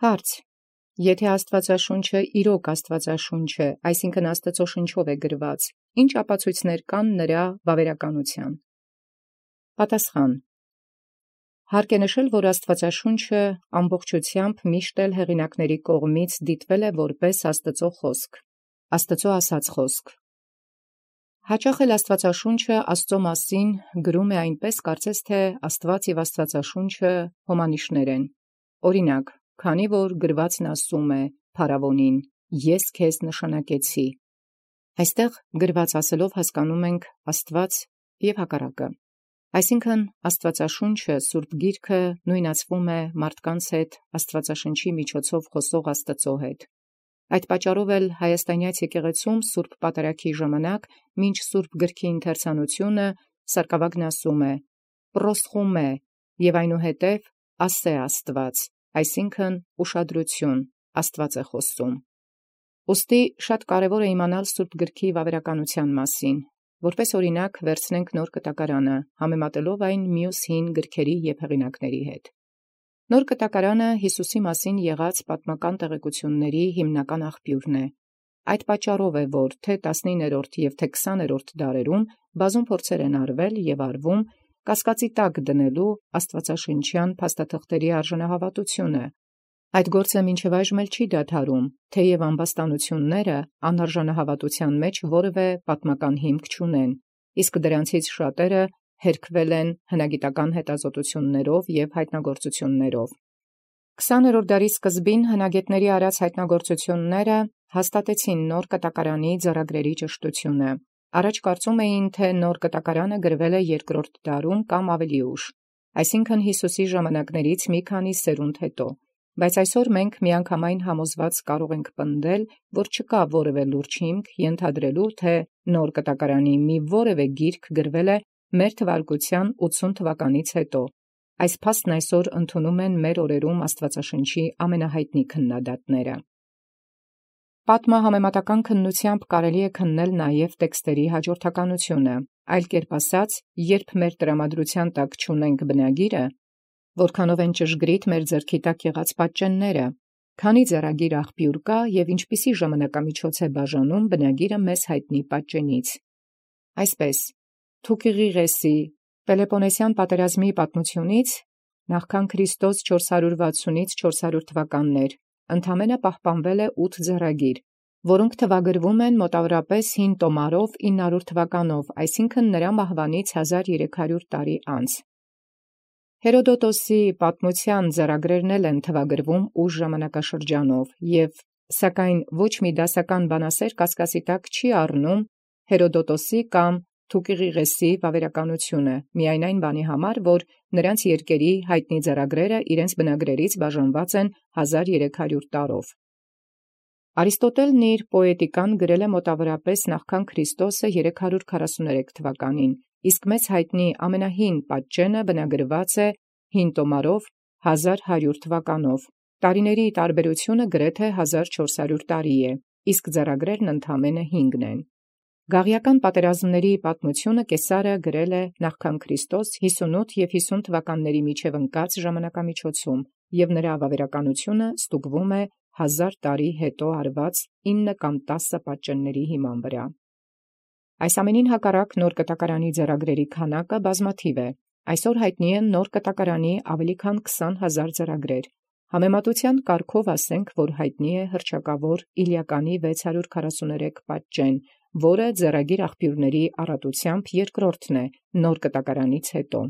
Հարց. Եթե Աստվածաշունչը իրոք Աստվածաշունչ է, այսինքն Աստծո շնչով է գրված, ինչ ապացույցներ կան նրա վավերականության։ Պատասխան. Հարկ է նշել, որ Աստվածաշունչը ամբողջությամբ միշտ էլ հեղինակների կողմից դիտվել է որպես Աստծո խոսք, Աստծո ասած խոսք։ Հաճախ էլ Աստվածաշունչը Աստծո մասին գրում է այնպես, կարծես թե Աստված և Աստվածաշունչը հոմանիշներ են։ Օրինակ, քանի որ գրվածն ասում է փարավոնին. «Ես քեզ նշանակեցի», այստեղ գրված ասելով հասկանում ենք Աստված և հակառակը։ Այսինքն Աստվածաշունչը, Սուրբ Գիրքը նույնացվում է մարդկանց հետ Աստվածաշնչի միջոցով խոսող Աստծո հետ։ Այդ պատճառով էլ հայաստանյաց եկեղեցում Սուրբ Պատարագի ժամանակ, մինչ Սուրբ Գրքի ընթերցանությունը, սարկավագն ասում է. «Պրոսխոմե» և այնուհետև «ասե Աստված», այսինքն ուշադրություն, Աստված է խոսում։ Ուստի շատ կարևոր է իմանալ Սուրբ Գրքի վավերականության մասին, որպես օրինակ վերցնենք Նոր Կտակարանը, համեմատելով այն մյուս հին գրքերի և հեղինակների հետ։ Նոր Կտակարանը Հիսուսի մասին եղած պատմական տեղեկությունների հիմնական աղբյուրն է։ Այդ պատճառով է, որ թե 19-րդ և թե 20-րդ դարերում բազում փորձեր են արվել և արվում կասկածի տակ դնելու աստվածաշնչյան փաստաթղթերի արժանահավատությունը։ Այդ գործը մինչև այժմ էլ չի դադարում, թեև ամբաստանությունները անարժանահավատության մեջ որևէ պատմական հիմք չունեն, իսկ դրանցից շատերը հերքվել են հնագիտական հետազոտություններով և հայտնագործություններով։ 20-րդ դարի սկզբին հնագետների արած հայտնագործությունները հաստատեցին Նոր Կտակարանի ձեռագրերի ճշտությունը։ Առաջ կարծում էին, թե Նոր Կտակարանը գրվել է 2-րդ դարում կամ ավելի ուշ, այսինքն Հիսուսի ժամանակներից մի քանի սերունդ հետո, բայց այսօր մենք միանգամայն համոզված կարող ենք պնդել, որ չկա որևէ լուրջ հիմք ենթադրելու, թե Նոր Կտակարանի մի որևէ գիրք գրվել է մեր թվարկության 80 թվականից հետո։ Այս փաստն այսօր ընդունում են մեր օրերում Աստվածաշնչի ամենահայտնի քննադատները։ Պատմահամեմատական քննությամբ կարելի է քննել նաև տեքստերի հաջորդականությունը, այլ կերպ ասած, երբ մեր տրամադրության տակ չունենք բնագիրը, որքանով են ճշգրիտ մեր ձեռքի տակ եղած պատճենները, քանի ձեռագիր աղբյուր կա և ինչպիսի ժամանակամիջոց է բաժանում բնագիրը մեզ հայտնի պատճենից։ Այսպես, Թուկիղիղեսի Պելեպոնեսյան պատերազմի պատմությունից նախքան Քրիստոս 460-ից 400 թվականներ ընդամենը պահպանվել է 8 ձեռագիր, որոնք թվագրվում են մոտավորապես 5 տոմարով 900 թվականով, այսինքն նրա մահվանից 1300 տարի անց։ Հերոդոտոսի պատմության ձեռագրերն էլ են թվագրվում ուշ ժամանակաշրջանով, և սակայն ոչ մի դասական բանասեր կասկածի տակ չի առնում Հերոդոտոսի կամ Թուկիղիղեսի վավերականությունը, միայն այն բանի համար, որ նրանց երկերի հայտնի ձեռագրերը իրենց բնագրերից բաժանված են 1300 տարով։ Արիստոտելն իր պոետիկան գրել է մոտավորապես նախքան Քրիստոսը 343 թվականին, իսկ մեզ հայտնի ամենահին պատճենը բնագրված է 5 տոմարով 1100 թվականով։ Տարիների տարբերությունը գրեթե 1400 տարի է, իսկ ձեռագրերն ընդամենը 5 են։ Գաղիական պատերազմների պատմությունը Կեսարը գրել է նախքան Քրիստոս 58 և 50 թվականների միջև ընկած ժամանակամիջոցում, և նրա վավերականությունը ստուգվում է 1000 տարի հետո արված 9 կամ 10 պատճենների հիման վրա։ Այս ամենին հակառակ Նոր Կտակարանի ձեռագրերի քանակը բազմաթիվ է։ Այսօր հայտնի են Նոր Կտակարանի ավելի քան 20,000 ձեռագրեր։ Համեմատության կարգով ասենք, որ հայտնի է հռչակավոր Իլիականի 643 պատճեն, որը ձեռագիր աղբյուրների առատությամբ երկրորդն է Նոր Կտակարանից հետո։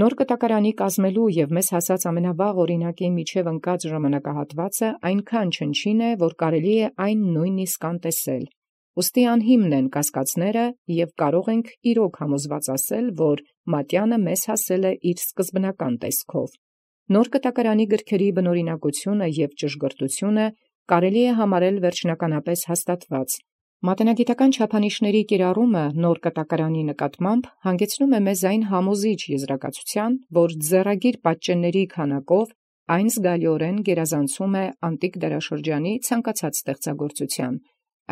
Նոր Կտակարանի կազմելու և մեզ հասած ամենավաղ օրինակի միջև ընկած ժամանակահատվածը այնքան չնչին է, որ կարելի է այն նույնիսկ անտեսել։ Ուստի անհիմն են կասկածները, և կարող ենք իրոք համոզված ասել, որ Մատյանը մեզ հասել է իր սկզբնական տեսքով։ Նոր Կտակարանի գրքերի բնօրինակությունը և ճշգրտությունը կարելի է համարել վերջնականապես հաստատված։ Մատենագիտական չափանիշների կիրառումը Նոր Կտակարանի նկատմամբ հանգեցնում է մեզ այն համոզիչ եզրակացության, որ ձեռագիր պատճենների քանակով այն զգալիորեն գերազանցում է անտիկ դարաշրջանի ցանկացած ստեղծագործության,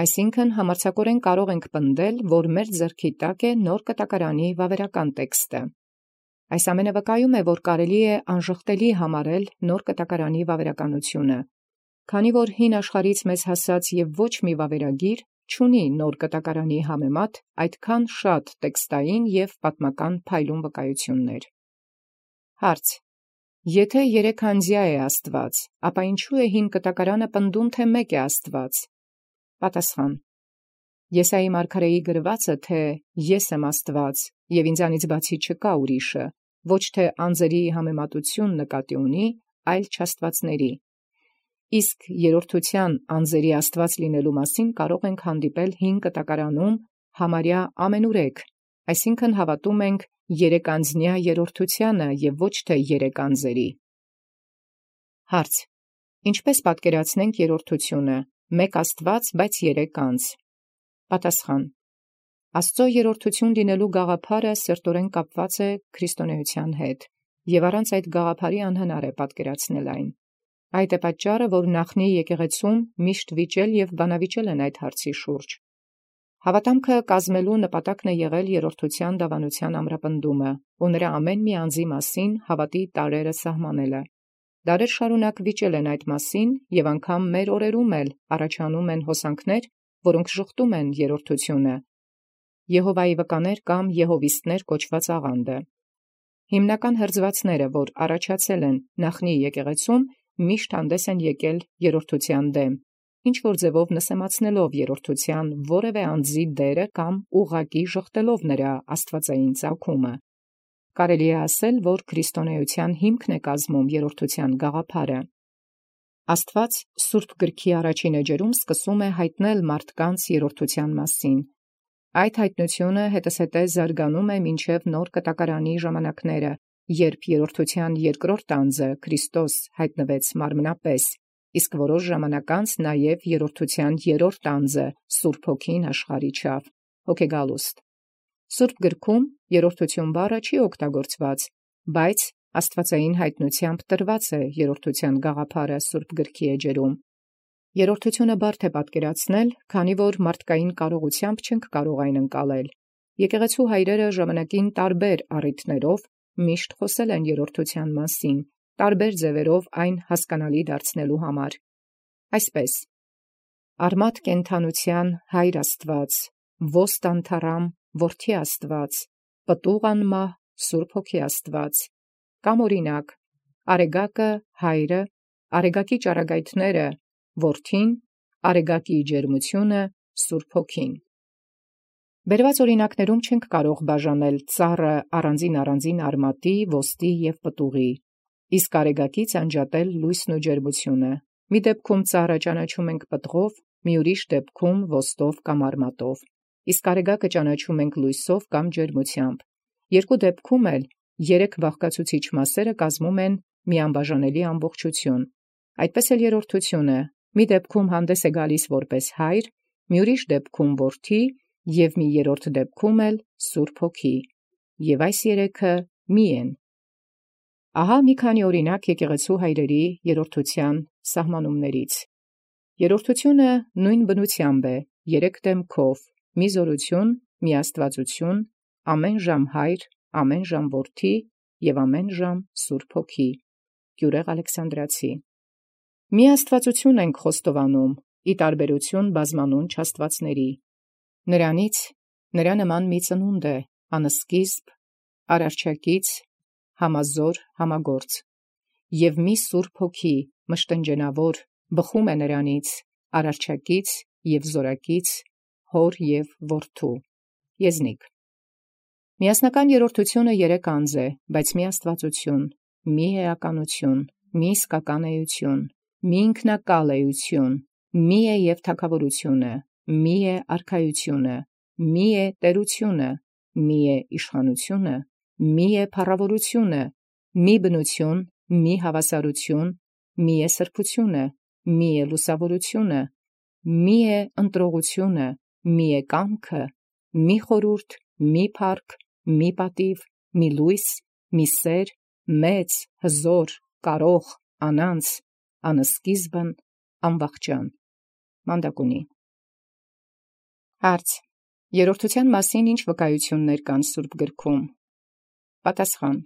այսինքն համարձակորեն կարող ենք պնդել, որ մեր ձեռքի տակ է Նոր Կտակարանի վավերական տեքստը։ Այս ամենը վկայում է, որ կարելի է անժխտելի համարել նոր կտակարանի վավերականությունը, քանի որ հին աշխարհից մեզ հասած եւ ոչ մի վավերագիր չունի նոր կտակարանի համեմատ այդքան շատ տեքստային եւ պատմական փայլուն վկայություններ։ Հարց. Եթե երեքանձյա է Աստված, ապա ինչու է հին կտակարանը պնդում, թե մեկ է Աստված։ Պատասխան. Եսայի մարգարեի գրվածը, թե ես եմ Աստված եւ ինձանից բացի չկա ուրիշը, ոչ թե անձերի համեմատություն նկատի ունի, այլ չաստվածների։ Իսկ երրորդության անձերի Աստված լինելու մասին կարող ենք հանդիպել հին կտակարանում համարյա ամենուրեք, այսինքն հավատում ենք երեքանձնյա երրորդությանը եւ ոչ թե երեք անձերի։ Հարց. Ինչպես պատկերացնենք երրորդությունը, մեկ Աստված, բայց երեք անձ։ Պատասխան. Աստծո երրորդություն լինելու գաղափարը սերտորեն կապված է քրիստոնեության հետ, եւ առանց այդ գաղափարի անհնար է պատկերացնել այն։ Այդ է պատճառը, որ նախնի եկեղեցում միշտ վիճել եւ բանավիճել են այդ հարցի շուրջ։ Հավատամքը կազմելու նպատակն է եղել երրորդության դավանության ամրապնդումը, ու նրա ամեն մի անձի մասին հավատի տարրերը սահմանելը։ Դարեր շարունակ վիճել են այդ մասին, եւ անգամ մեր օրերում էլ առաջանում են հոսանքներ, որոնք շղթում են երրորդությունը, Եհովայի վկաներ կամ եհովիստներ կոչված աղանդը։ Հիմնական հրձվածները, որ առաջացել են նախնի եկեղեցում, միշտ հանդես են եկել երրորդության դեմ, ինչ որ ձևով նսեմացնելով երրորդության որևէ անձի դերը կամ ուղղակի ժխտելով նրա աստվածային ծագումը։ Կարելի է ասել, որ քրիստոնեության հիմքն է կազմում երրորդության գաղափարը։ Աստված Սուրբ Գրքի առաջին էջերում սկսում է հայտնել մարդկանց երրորդության մասին։ Այդ հայտնությունը հետզհետե զարգանում է մինչև նոր կտակարանի ժամանակները, երբ երրորդության երկրորդ անձը Քրիստոս հայտնվեց մարմնապես, իսկ որոշ ժամանակ անց նաև երրորդության երրորդ անձը Սուրբ Հոգին աշխարհ իջավ, Հոգեգալուստ։ Սուրբ Գրքում երրորդություն բառը չի օգտագործված, բայց աստվածային հայտնությամբ տրված է երրորդության գաղափարը Սուրբ Գրքի էջերում։ Երրորդությունը բարդ է պատկերացնել, քանի որ մարդկային կարողությամբ չենք կարող այն ընկալել։ Եկեղեցու հայրերը ժամանակին տարբեր առիթներով միշտ խոսել են երրորդության մասին, տարբեր ձևերով այն հասկանալի դարձնելու համար։ Այսպես. Արմատ կենթանության հայր Աստված, ոստ անթառամ որդի Աստված, պտուղ անմահ Սուրբ Հոգի Աստված, կամ օրինակ, արեգակը հայրը, արեգակի ճառագայթները որդին, արեգակի ջերմությունը Սուրբ Հոգին։ Բերված օրինակներում չենք կարող բաժանել ծառը առանձին արմատի, ոստի եւ պտուղի, իսկ արեգակից անջատել լույսն ու ջերմությունը։ Մի դեպքում ծառը ճանաչում ենք պտղով, մի ուրիշ դեպքում ոստով կամ արմատով, իսկ արեգակը ճանաչում ենք լույսով կամ ջերմությամբ։ Երկու դեպքում էլ երեք բաղկացուցիչ մասերը կազմում են մի անբաժանելի ամբողջություն։ Այդպես էլ երրորդությունը մի դեպքում հանդես է գալիս որպես հայր, մի ուրիշ դեպքում որդի եւ մի երրորդ դեպքում էլ Սուրբ Հոգի, եւ այս երեքը մի են։ Ահա մի քանի օրինակ եկեղեցու հայրերի երրորդության սահմանումներից։ Երրորդությունը նույն բնությամբ է, երեք դեմքով, մի զորություն, մի աստվածություն, ամեն ժամ հայր, ամեն ժամ որդի եւ ամեն ժամ Սուրբ Հոգի։ Գյուրեղ Ալեքսանդրացի։ Մի աստվածություն ենք խոստովանում, ի տարբերություն բազմանուն չաստվածների։ Նրանից նրա նման մի ծնունդ է, անսկիզբ, արարչակից, համազոր, համագործ, եւ մի Սուրբ Հոգի, մշտնջենավոր, բխում է նրանից, արարչակից եւ զորակից, հոր եւ որդու, եզնիկ։ Միասնական երրորդությունը երեք անձ է, բայց մի աստվածություն, մի էականություն, մի իսկական էություն, մի ինքնակալ էություն, մի է եւ թագավորությունը, մի է արքայությունը, մի է տերությունը, մի է իշխանությունը, մի է փառավորությունը, մի բնություն, մի հավասարություն, մի է սրբությունը, մի է լուսավորությունը, մի է ընտրողությունը, մի է կամքը, մի խորուրդ, մի փառք, մի պատիվ, մի լույս, մի սեր, մեծ, հզոր, կարող, անանց, անսկիզբն, անվախճան։ Մանդակունի։ Հարց. Երրորդության մասին ինչ վկայություններ կան Սուրբ Գրքում։ Պատասխան.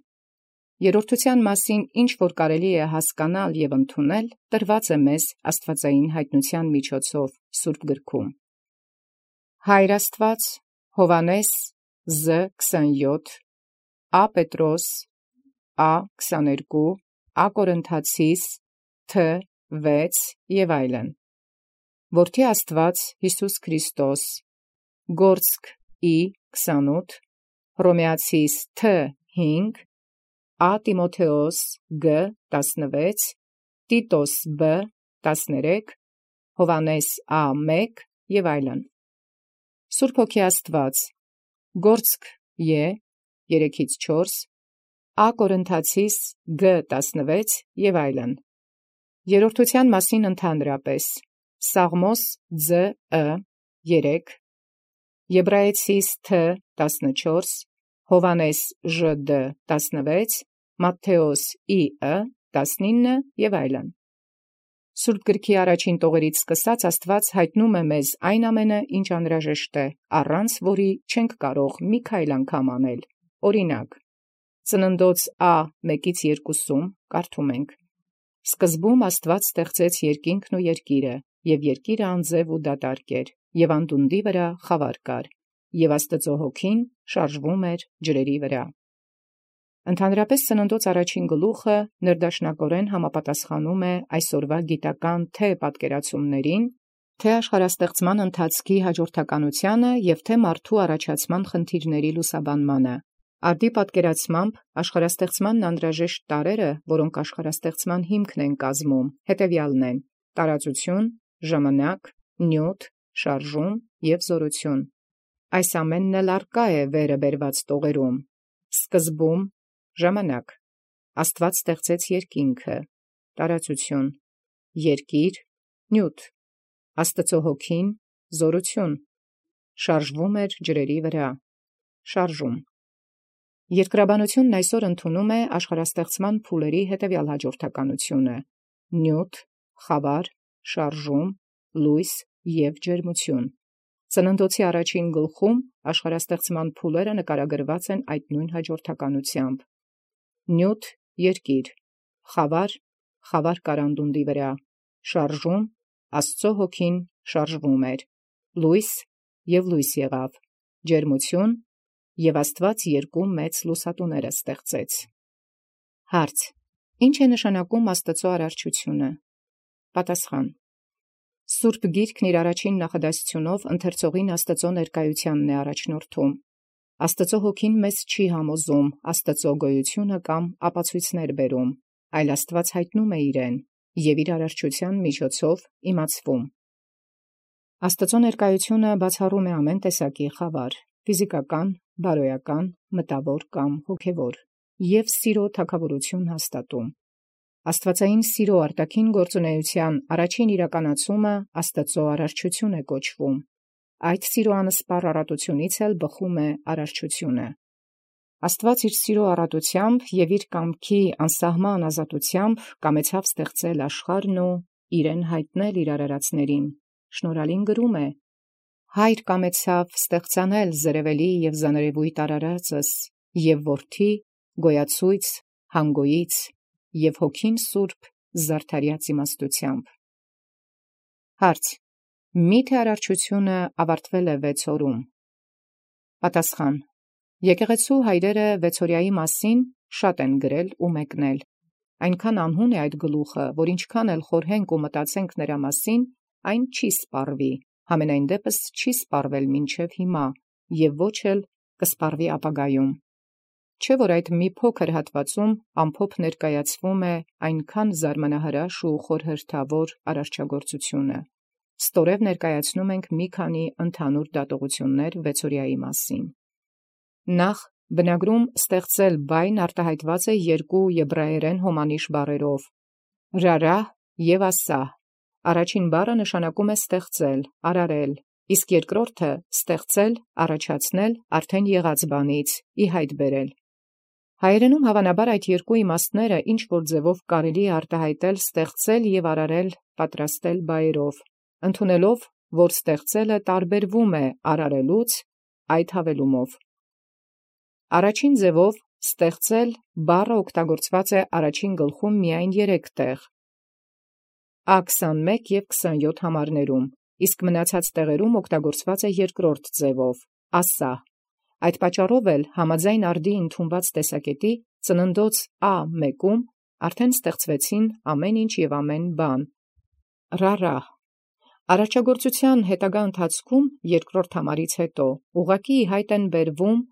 Երրորդության մասին ինչ որ կարելի է հասկանալ եւ ընդունել, տրված է մեզ աստվածային հայտնության միջոցով Սուրբ գրքում։ Հայր Աստված Հովանես Զ 27, Ա Պետրոս Ա 22, Ա Կորինթացիս Თ 6 եւ այլն։ Որդի Աստված Հիսուս Քրիստոս Գործք Ի 28, Հռոմեացիս Თ 5, Ա Տիմոթեոս Գ 16, Տիտոս B 13, Հովանես Ա 1 եւ այլն։ Սուրբ Հոգի Աստված Գործք Ե 3-4, Ա Կորինթացիս Գ 16 եւ այլն։ Երրորդության մասին ընդհանրապես Սաղմոս Ծ 3, Եբրայեցիս Თ 14, Հովանես Ժ D 16, Մատթեոս Ի 19 եւ այլն։ Սուրբ գրքի առաջին տողերից սկսած Աստված հայտնում է մեզ այն ամենը, ինչ անհրաժեշտ է, առանց որի չենք կարող մի քայլ անգամ անել։ Օրինակ, Ծննդոց Ա 1-2 կարդում ենք. Սկզբում Աստված ստեղծեց երկինքն ու երկիրը, եւ երկիրը անձև ու դատարկ էր, եւ անդունդի վրա խավար կար, եւ Աստծո հոգին շարժվում էր ջրերի վրա։ Ընդհանրապես Ծննդոց առաջին գլուխը ներդաշնակորեն համապատասխանում է այսօրվա գիտական թե պատկերացումներին, թե աշխարհաստեղծման ընթացքի հաջորդականությանը եւ թե մարդու առաջացման խնդիրների լուսաբանմանը։ Արդի պատկերացմամբ աշխարհաստեղծմանն անհրաժեշտ տարրերը, որոնք աշխարհաստեղծման հիմքն են կազմում, հետևյալն են. տարածություն, ժամանակ, նյութ, շարժում եւ զորություն։ Այս ամենն էլ արկա է վերը բերված տողերում։ Սկզբում ժամանակ, Աստված ստեղծեց երկինքը, տարածություն, երկիր, նյութ, Աստծո հոգին, զորություն, շարժվում էր ջրերի վրա, շարժում։ Երկրաբանությունն այսօր ընդունում է աշխարհաստեղծման փուլերի հետևյալ հաջորդականությունը. նյութ, խավար, շարժում, լույս եւ ջերմություն։ Ծննդոցի առաջին գլխում աշխարհաստեղծման փուլերը նկարագրված են այդ նույն հաջորդականությամբ. նյութ, երկիր, խավար կարանդունդի վրա, շարժում, Աստծո հոգին շարժվում էր, լույս եւ լույս եղավ, ջերմություն, եւ Աստված երկու մեծ լուսատուներ ստեղծեց։ Հարց. Ինչ է նշանակում Աստծո արարչությունը։ Պատասխան. Սուրբ Գիրքն իր առաջին նախադասությունով ընթերցողին Աստծո ներկայությանն է առաջնորդում։ Աստծո հոգին մեզ չի համոզում Աստծո գոյությունը կամ ապացույցներ բերում, այլ Աստված հայտնում է իրեն եւ իր արարչության միջոցով իմացվում։ Աստծո ներկայությունը բացառում է ամեն տեսակի խավար, ֆիզիկական, բարոյական, մտավոր կամ հոգևոր, եւ սիրո թագավորություն հաստատում։ Աստվածային սիրո արտաքին գործունեության առաջին իրականացումը Աստծո արարչություն է կոչվում։ Այդ սիրո անսպառ առատությունից էլ բխում է արարչությունը։ Աստված իր սիրո առատությամբ եւ իր կամքի անսահման ազատությամբ կամեցավ ստեղծել աշխարհն ու իրեն հայտնել իր արարածներին։ Շնորհալին գրում է. Հայր կամեցավ ստեղծանել զրևելի եւ զաներևույթ արարածս եւ որդի գոյացույց հանգոյից եւ հոգին սուրբ զարդարյաց իմաստությամբ։ Հարց. Միթե արարչությունը ավարտվել է 6 օրում։ Պատասխան. Եկեղեցու հայրերը 6-օրյայի մասին շատ են գրել ու մեկնել։ Այնքան անհուն է այդ գլուխը, որ ինչքան էլ խորհենք ու մտածենք նրա մասին, այն չի սպառվի, համենայն դեպս չի սպառվել մինչև հիմա եւ ոչ էլ կսպառվի ապագայում։ Չէ՞ որ այդ մի փոքր հատվածում ամփոփ ներկայացվում է այնքան զարմանահրաշ ու խորհրդավոր արարչագործությունը։ Ստորև ներկայացնում ենք մի քանի ընդհանուր դատողություններ 6-օրյայի մասին։ Նախ բնագրում ստեղծել բայն արտահայտված է 2 եբրայերեն հոմանիշ բառերով՝ ռարահ եւ ասահ։ Առաջին բառը նշանակում է ստեղծել, արարել, իսկ երկրորդը ստեղծել, առաջացնել արդեն եղած բանից, ի հայտ բերել։ Հայերենում հավանաբար այդ երկու իմաստները ինչ որ ձևով կարելի է արտահայտել ստեղծել եւ արարել պատրաստել բայերով, ընդունելով, որ ստեղծելը տարբերվում է արարելուց այդ հավելումով։ Առաջին ձևով Ստեղծել բառը օգտագործված է առաջին գլխում միայն 3 տեղ. A21 և 27 համարներում, իսկ մնացած տեղերում օգտագործված է երկրորդ ձևով՝ ասահ։ Այդ պատճառով էլ համաձայն արդի ընդունված տեսակետի ծննդոց A1-ում արդեն ստեղծվեցին ամեն ինչ և ամեն բան։ Ռարահ։ Արաճագործության հետագա ընթացքում երկրորդ համարից հետո ուղղակի ի հայտ են բերվում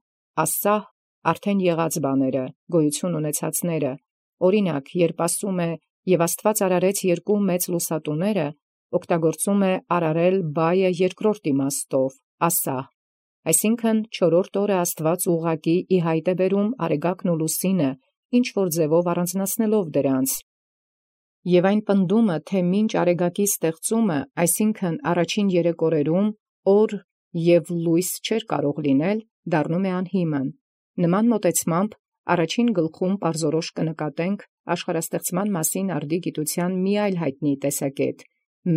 ասահ արդեն եղած բաները, գոյություն ունեցածները, օրինակ, երբ ասում է «Եվ Աստված արարեց երկու մեծ լուսատուները», օգտագործում է արարել բայը երկրորդ իմաստով, ասահ, այսինքն չորրորդ օրը Աստված ուղղակի ի հայտ է բերում արեգակն ու լուսինը, ինչ-որ ձևով առանձնացնելով դրանց։ Եվ այն պնդումը, թե մինչ արեգակի ստեղծումը, այսինքն առաջին 3 օրերում, օր և լույս չէր կարող լինել, դառնում է անհիմն։ Նման մոտեցմամբ առաջին գլխում պարզորոշ կնկատենք աշխարհաստեղծման մասին արդի գիտության մի այլ հայտնի տեսակետ՝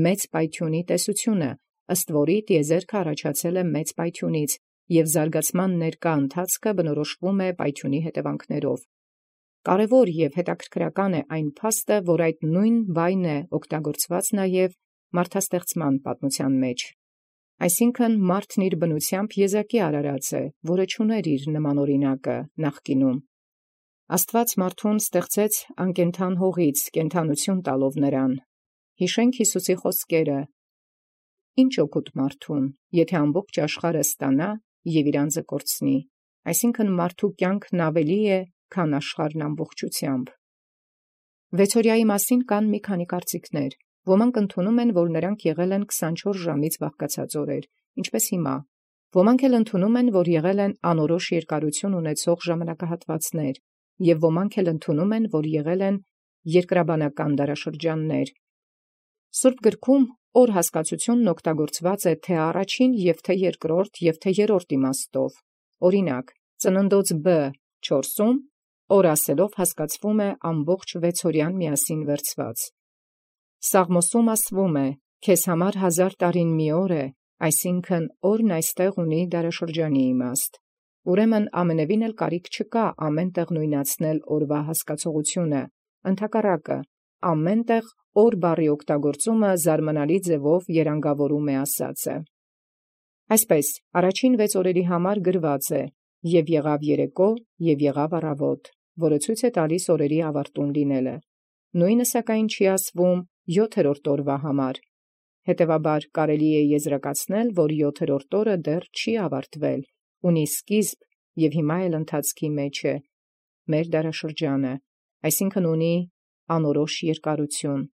մեծ պայթյունի տեսությունը, ըստ որի տիեզերքը առաջացել է մեծ պայթյունից, և զարգացման ներկա ընթացքը բնորոշվում է պայթյունի հետևանքներով։ Կարևոր և հետաքրքրական է այն փաստը, որ այդ նույն բայն է օգտագործված նաև մարդաստեղծման պատմության մեջ։ Այսինքն մարդն իր բնությամբ եզակի արարած է, որը չուներ իր նման օրինակը նախկինում։ Աստված մարդուն ստեղծեց անկենդան հողից, կենդանություն տալով նրան։ Հիշենք Հիսուսի խոսքերը. «Ինչ օգուտ մարդուն, եթե ամբողջ աշխարհը ստանա և իր անձը կորցնի»։ Այսինքն մարդու կյանքն ավելի է, քան աշխարհն ամբողջությամբ։ Վեցօրյայի մասին կան մի քանի կարծիքներ։ Ոմանք ընդունում են, որ նրանք եղել են 24 ժամից բաղկացած օրեր, ինչպես հիմա։ Ոմանք էլ ընդունում են, որ եղել են անորոշ երկարություն ունեցող ժամանակահատվածներ, և ոմանք էլ ընդունում են, որ եղել են երկրաբանական դարաշրջաններ։ Սուրբ գրքում օր հասկացությունն օգտագործված է թե առաջին և թե երկրորդ և թե երրորդ իմաստով։ Օրինակ, ծննդոց B 4-ում օր ասելով հասկացվում է ամբողջ 6-օրյան միասին վերցված։ Սաղմոսում ասվում է. «Քեզ համար 1000 տարին մի օր է», այսինքն օրն այստեղ ունի դարաշրջանի իմաստ։ Ուրեմն ամենևին էլ կարիք չկա ամեն տեղ նույնացնել օրվա հասկացողությունը, ընդհակառակը, ամեն տեղ օր բառի օգտագործումը զարմանալի ձևով երանգավորում է ասածը։ Այսպես, առաջին 6 օրերի համար գրված է. «Եվ եղավ երեկո, և եղավ առավոտ», որը ցույց է տալիս օրերի ավարտուն լինելը։ Նույնը սակայն չի ասվում 7-րդ օրվա համար։ Հետևաբար կարելի է եզրակացնել, որ 7-րդ օրը դեռ չի ավարտվել, ունի սկիզբ և հիմա էլ ընթացքի մեջ է, մեր դարաշրջանը, այսինքն ունի անորոշ երկարություն։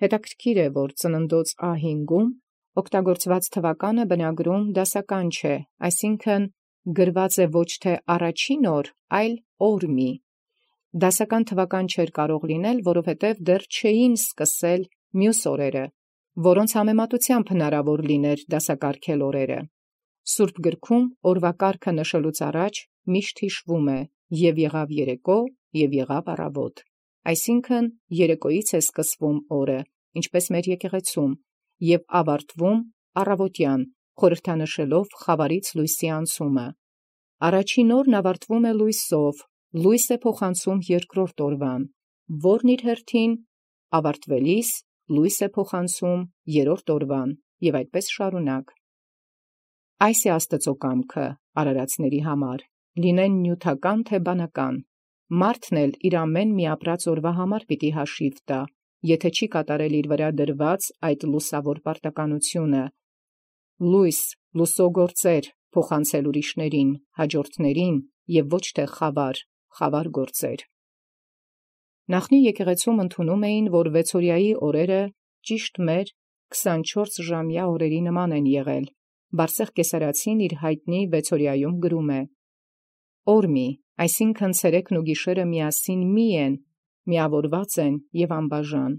Հետաքրքիր է, որ ծննդոց A5-ում օգտագործված թվականը բնագրում դասական չէ, այսինքն գրված է ոչ թե առաջին օր, այլ օրմի։ Դասական թվական չէր կարող լինել, որովհետև դեռ չէին սկսել մյուս օրերը, որոնց համեմատությամբ հնարավոր լիներ դասակարգել օրերը։ Սուրբ գրքում օրվա կարգը նշելուց առաջ միշտ հիշվում է. «Եվ եղավ երեկո, և եղավ առավոտ», այսինքն երեկոյից է սկսվում օրը, ինչպես մեր եկեղեցում, և ավարտվում առավոտյան, խորհրդանշելով խավարից լույսի անցումը։ Առաջին օրն ավարտվում է լույսով, լույս է փոխանցում երկրորդ օրվան, որն իր հերթին ավարտվելիս լույս է փոխանցում երրորդ օրվան, և այդպես շարունակ։ Այս է Աստծո կամքը արարածների համար, լինեն նյութական թե բանական։ Մարդն էլ իր ամեն մի ապրած օրվա համար պիտի հաշիվ տա, եթե չի կատարել իր վրա դրված այդ լուսավոր պարտականությունը։ Լույս, լուսոգործեր փոխանցել ուրիշներին, հաջորդներին, և ոչ թե խավար գործեր։ Նախնի եկեղեցում ընդունում էին, որ 6-օրյայի օրերը ճիշտ մեր 24-ժամյա օրերի նման են եղել։ Բարսեղ Կեսարացին իր հայտնի 6-օրյայում գրում է. «Օրմի, այսինքն ցերեկն ու գիշերը միասին մի են, միավորված են և անբաժան,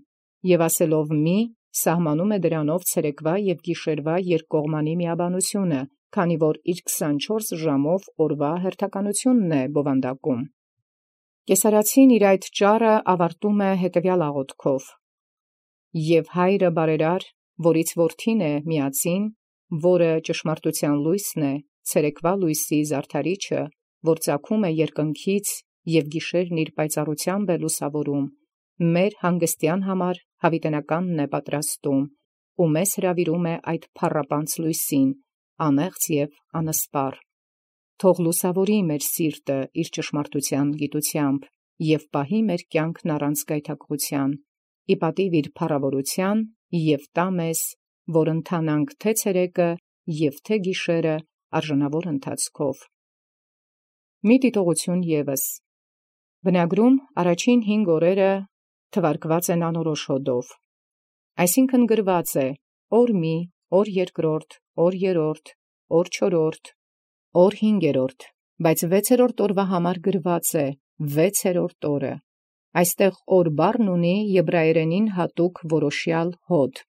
և ասելով մի, սահմանում է դրանով ցերեկվա և գիշերվա երկկողմանի միաբանությունը, քանի որ իր 24 ժամով օրվա հերթականությունն է բովանդակում»։ Կեսարացին իր այդ ճառը ավարտում է հետևյալ աղոթքով. «Եվ հայրը բարերար, որից որդին է միածին, որը ճշմարտության լույսն է, ցերեկվա լույսի զարդարիչը, որ ծագում է երկնքից և գիշերն իր պայծառութեամբ է լուսաւորում, մեր հանգստեան համար յաւիտենականն է պատրաստում, ու մեզ հրավիրում է այդ փառապանծ լույսին, անեղծ և անսպառ։ Թող լուսաւորի մեր սիրտը իր ճշմարտութեան գիտութեամբ, և պահի մեր կյանքն առանց գայթակղութեան, ի պատիւ իր փառաւորութեան, և տա մեզ, որ ընթանանք թե ցերեկը և թե գիշերը արժանաւոր ընթացքով։ Մի դիտողություն ևս. բնագրում առաջին 5 օրերը թվարկված են անորոշ հոդով, այսինքն գրված է օր մի, օր երկրորդ, օր երրորդ, օր չորրորդ, օր հինգերորդ, բայց 6-րդ օրվա համար գրված է 6-րդ օրը։ Այստեղ օր բառն ունի եբրայերենին հատուկ որոշեալ հոդ,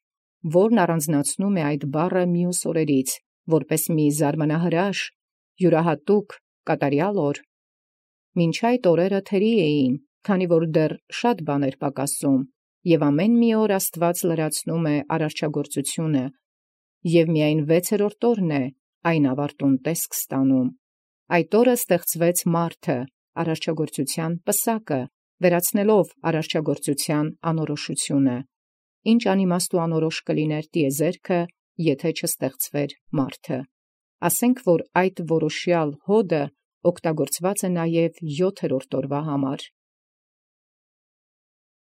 որն առանձնացնում է այդ բառը մյուս օրերից, որպես մի զարմանահրաշ, յուրահատուկ կատարյալ օր։ Մինչ այդ օրերը թերի էին, քանի որ դեռ շատ բան էր պակասում, և ամեն մի օր Աստուած լրացնում է արարչագործությունը, և միայն 6-րդ օրն է այն ավարտուն տեսք ստանում։ Այդ օրը ստեղծվեց մարդը, արարչագործութեան պսակը, վերացնելով արարչագործութեան անորոշությունը։ Ինչ անիմաստ ու անորոշ կլիներ տիեզերքը, եթէ չստեղծվեր մարդը։ Ասենք որ այդ որոշեալ հոդը օգտագործված է նաև 7-րդ օրվա համար,